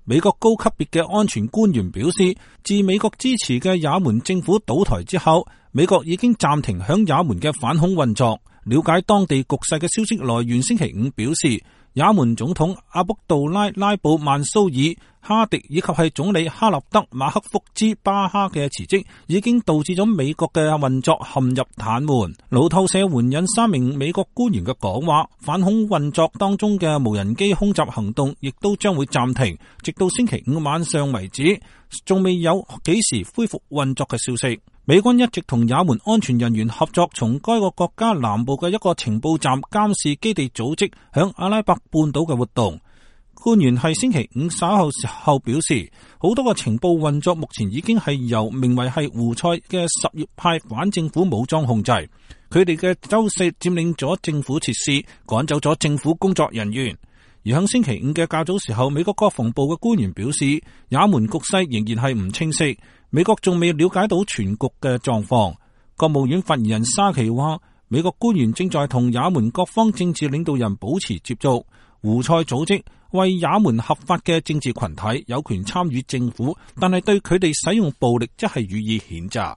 美國高級別嘅安全官員表示，自美國支持嘅也門政府倒台之後，美國已經暫停響也門嘅反恐運作。了解當地局勢嘅消息來源星期五表示，也門總統阿卜杜拉拉布曼蘇爾哈迪以及係總理哈立德馬克福茲巴哈嘅辭職，已經導致咗美國嘅運作陷入癱瘓。路透社援引3名美國官員嘅講話，反恐運作當中嘅無人機空襲行動亦都將會暫停，直到星期五晚上為止，仲未有幾時恢復運作嘅消息。美軍一直同也門安全人員合作，從該個國家南部嘅一個情報站監視基地組織響阿拉伯半島嘅活動。官員係星期五稍後時候表示，好多個情報運作目前已經係由名為係胡塞嘅什葉派反政府武裝控制，佢哋嘅周四佔領咗政府設施，趕走咗政府工作人員。而喺星期五嘅較早時候，美國國防部嘅官員表示，也門局勢仍然係唔清晰，美國仲未了解到全局嘅狀況。國務院發言人沙奇話，美國官員正在同也門各方政治領導人保持接觸。胡塞組織為也門合法嘅政治群體，有權參與政府，但係對佢哋使用暴力則係予以譴責。